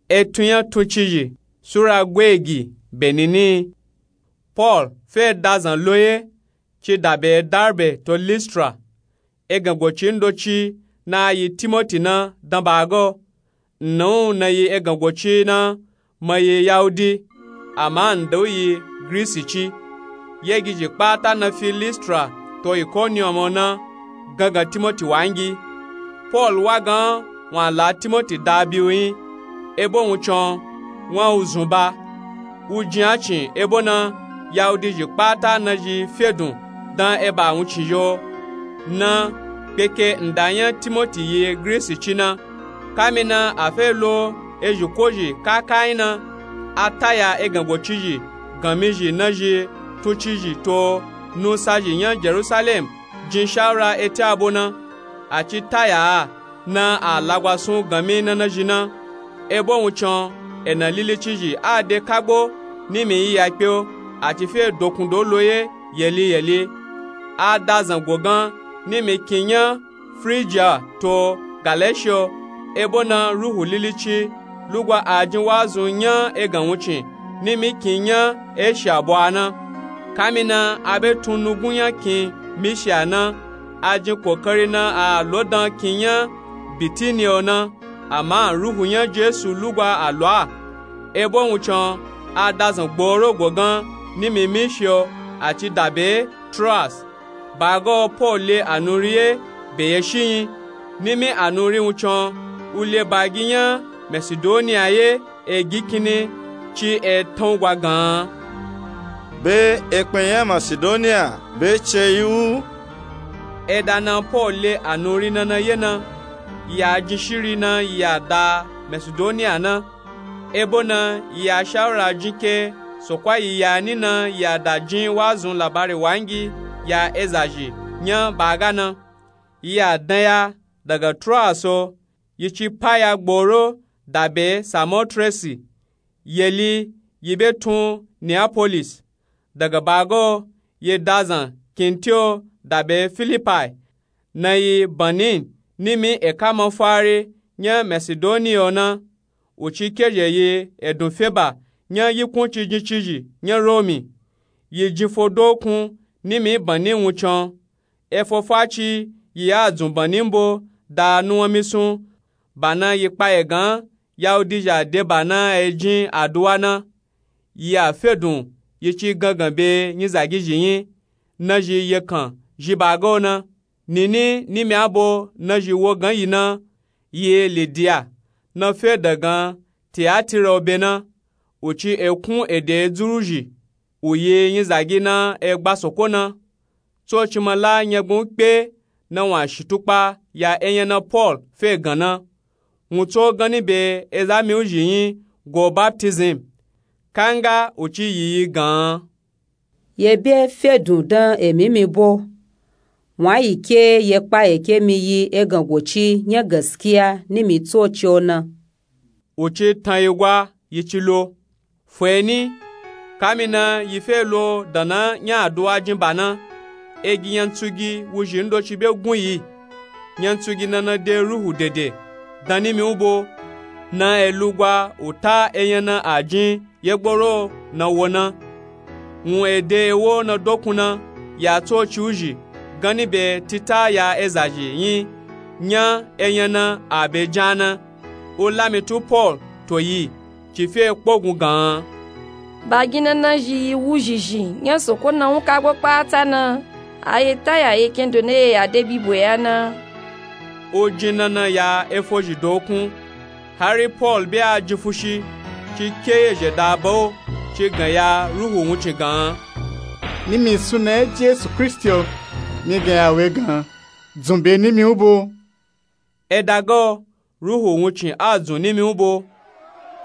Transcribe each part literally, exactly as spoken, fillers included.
Etun nya tuncizhi sura gweegi benini. Pol fe dazan loye ci dabe darbe to listra. Egan goci ndoci na yi timoti na dan bago. Nna u na yi egan goci na ma yi yahudi, ama nda u yi grisi ci. Yegizhi kpata na fi listra to ikonium o na gangan timoti wangi. Pol wa gan wun a la timoti da biu nyi. Ebo wuncin o wun a u zun ba. U jin a cin ebo na yahudizhi kpata na zhi fedun dan eba wuncin zhi o na kpeke nda nya timoti yi grisi ci na. Kamina a fe lo ezhi kozhi kakanyi na, a taya egan gocizhi ganmizhi na zhi tuncizhi to nusazhi nya jerusalem jin shawura eti abo na. A ci taya a na a lagwasun ganmi na na zhi na. Ebo wuncin o ena lilicizhi a de kagbo nimi yi ya kpe o. A ci fe dokundo loye yeli yeli. A dazan gogan nimi kin nya frijiya to galeshiya o. Ebo na ruhu lilici lugwa a jin wazun nya egan wuncin nimi kin nya eshiya bo a na. Kamina a be tun nugun nya kin mishiya na. A jin kokari na a lo dan kin nya bitiniya o na. Ama ruhu nya jesu lugwa a lo a. Ebo wuncin o a dazan gboro gogan nimi mishiya o. A ci dabe troas. Baga o pol le a nu ri ye be ye shi nyi. Nimi a nu ri wuncin o u le bagi nya masidoniya ye egi kinni ci etan u gwa gan an. Be ekpen nya masidoniya be ceyi u. Eda na pol le a nu ri na na ye na yi a jin shiri na yi a da masidoniya na. Ebo na yi a shawura jin ke sokwa yi ya ni na yi a da jin wazun labari wangi ya ezazhi nya baga na. Yi a dan ya daga troas o yi ci paya gboro dabe samotresi. Yeli yi be tun neapolis. Daga baga o yi dazan kintiyo dabe filipai. Na yi banin nimi eka mafari nya masidoniya o na. U ci kezhe yi edun feba nya yikun cijincizhi nya romi. Yi jin fo dokun nimi banin wuncin o. Efo faci yi a dzun banin bo da nuwanmisun. Bana yi kpaye gan yahudizhi a de bana e jin aduwa na. Yi a fedun yi ci gangan be nyizagizhi nyi. Na zhi yekan zhi baga o na. Nini nimi abo na zhi wogan yi na yi lidiya na fe dagan tiyatira o be na. U ci ekun ede dzuruzhi u yi nyizagi na egba soko na. Tsoci ma la nyagban u kpe na wun a shitukpa ya enya na pol fe gan na. Wun tso ganni be eza mi u zhi nyi go baptism. Kanga u ci yiyi gan an. Ye be fedun dan emi mi bo. Wun a yi ke ye kpaye ke mi yi egan goci nya gaskiya nimi tsoci o na. U ci tan yi gwa yi ci lo. Fo eni kamina yi fe lo dana nya aduwa jin ba na. Egi nyantsugi wuzhi ndoci be gun yi. Nyantsugi na na de ruhu dede dan nimi u bo. Na elugwa u ta enya na a jin yegboro na wo na. Wun ede ewo na dokun na ya tsoci u zhi ganni be tita ya ezazhi nyi. Nya enya na a be jan na. U lami tu pol to yi ci fe kpogun gan an. Bagina na zhi yi wuzhizhi nya soko na wun kagbo kpata na. A ye taya ye kendo na ye ya de bibo ya na. U jin na na ya efozhi dokun. Hari pol be a jin fushi ci ke yezhe da ba o ci gan ya ruhu wuncin gan an. Nimi suna nya jesu kristi o mi gan ya we gan an. Dzun be nimi u bo. Eda ga o ruhu wuncin a dzun nimi u bo.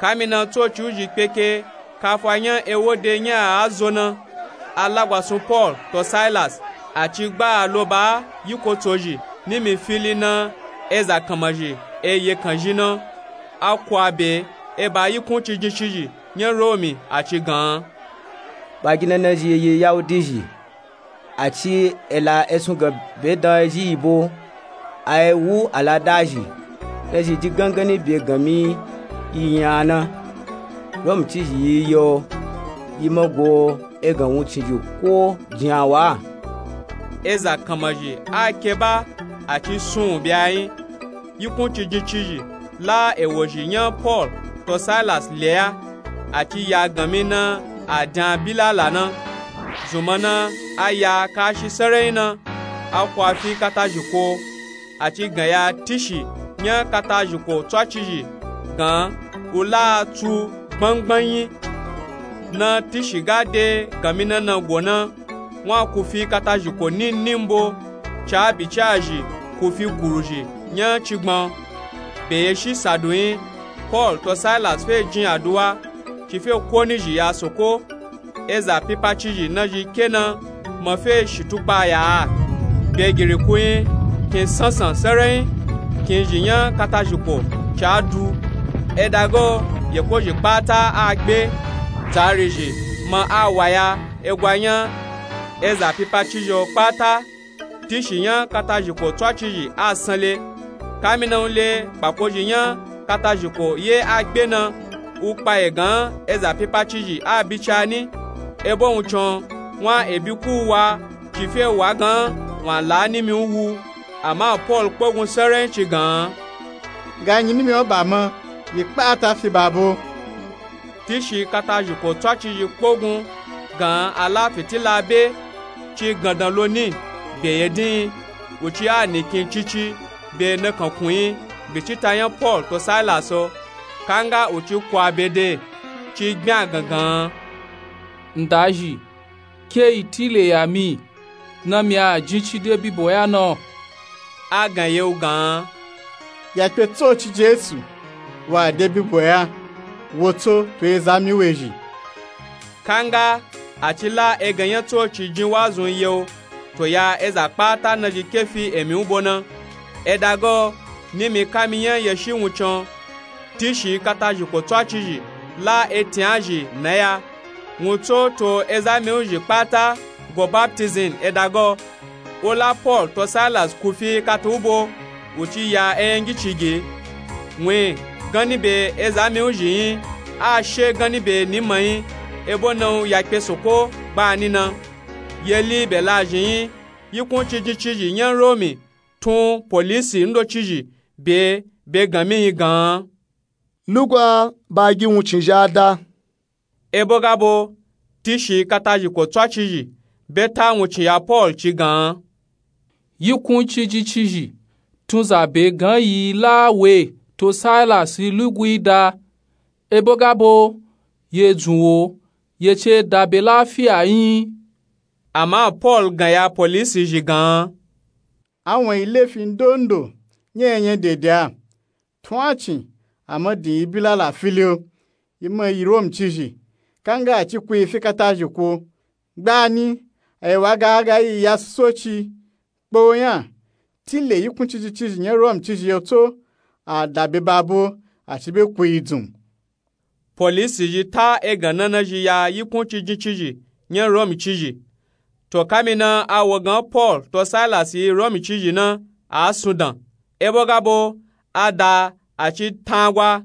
Kamina tsoci u zhi kpeke kafa nya ewo de nya a zo na. A lagwasun pol to silas a ci gba a lo ba a yiko tsozhi nimi fili na eza kanmazhi e yekan zhi na. A ku a be e ba yikun cijincizhi nya romi a ci gan an. Bagina na zhi yi yahudizhi. A ci ela esun gan be dan ezhi yi bo. A ewu aladazhi na zhi di ganganni be ganmi yi nya na. Rom cizhi yi yo, yi ma go egan wuncin zhi ko jin a wa. Eza kanmazhi a ke ba, a ci sun u bya yin. Yikun cijin cizhi la ewozhi nya Pol to Sailas le ya, a ci ya ganmi na a dan bilala na. Zunma na a ya kashi sarai na, a kwa fi katazhiko, a ci gan ya tishi nya katazhiko tswacizhi gan u la tsu gbangban yin. Na tishi ga de ganmi na na go na, wun a ku fi katazhiko nin nin bo, ca bicazhi ku fi kuruzhi nya cigban. Be ye shi sadu yin, Pol to Sailas fe jin aduwa, ci fe ko nizhi ya soko. Eza pipa cizhi nazhi ke na ma fe shitukpa ya a. Be giriku yin, kin sansan sarai yin, kin zhi nya katazhiko ca du. Edago yekozhi kpata a gbe, dzarizhi ma a waya egwa nya. Eza pipa cizhi o kpata, tishi nya katazhiko tswacizhi a sanle. Kamina u le kpakozhi nya katazhiko ye a gbe na, u kpaye gan eza pipa cizhi a bi ca ni. Ebo wuncin wun a ebi ku wa, ci fe wa gan wun a la nimi u wu. Ama Pol kpogun sarai ci gan, ga nyi nimi o ba ma, yi kpata fi ba bo. Tishi katazhiko tswacizhi kpogun gan a la fitila be, ci gandan lo ni, be ye din, u ci a nikin cici be nakankun yin bicita nya Pol to Sailas o. Kanga u ci kwa be de, ci gbin a gangan, Ndazhi, ke yi tile ya mi, na mi a jin ci de bibo ya na? A gan ye u gan, ya kpe tsoci Jesu wa de bibo ya, wo tso to eza mi wezhi. Kanga a ci la egan nya tsoci jin wazun ye u, to ya eza kpata nazhi ke fi emi u bo na. Edago nimi kami nya ye shi wuncin, tishi katazhiko tswacizhi la etin a zhi na ya. Wun tso to eza mi u zhi kpata go baptizim edago. U la Pol to Sailas ku fi kata u bo, u ci ya eyangi cigi. Wun yin ganni be eza mi u zhi yin, a she ganni be ni ma yin, ebo na u ya kpe soko gbani na. Yeli be lazhi yin, yikun cijin cizhi nya Romi tun polisi ndocizhi be, be ganmi yin gan, lugwa ba gi wuncin zhi a da. Ebo ga bo, tishi katazhiko tswacizhi be ta wuncin ya Pol ci gan, yikun cijin cizhi tun za be gan yi la we to Sailas lugwi da. Ebo ga bo, ye dzun wo, ye ce da be lafiya yin. Ama Pol gan ya polisi zhi gan, a wan yi lefi ndondo nya enya dede a. Tun a cin a ma din yi bilala fili o, yi ma yi Rom cizhi. Kanga a ci ku yi fi katazhiko. Gbani a yi wa ga a ga yi ya soci kpo nya, tile yikun cijin cizhi nya Rom cizhi yo tso, a da be ba bo, a ci be ku yi dzun. Polisi zhi ta egan na nazhi ya yikun cijin cizhi nya Romi cizhi. To kamina a wo gan Pol to Sailas yi Romi cizhi na, a sun dan. Ebo ga bo, a da, a ci tangwa.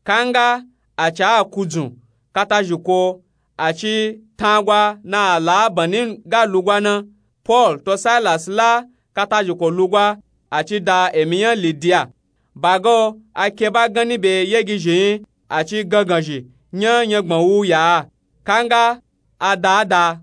Kanga a ci a ku dzun katazhiko, a ci tangwa na a la banni ga lugwa na. Pol to Sailas la katazhiko lugwa, a ci da emi nya Lidiya. Ba ga o, a ke ba ganni be yegizhi yin, a ci ganganzhi nya nyangban wu ya a. Kanga a da a da,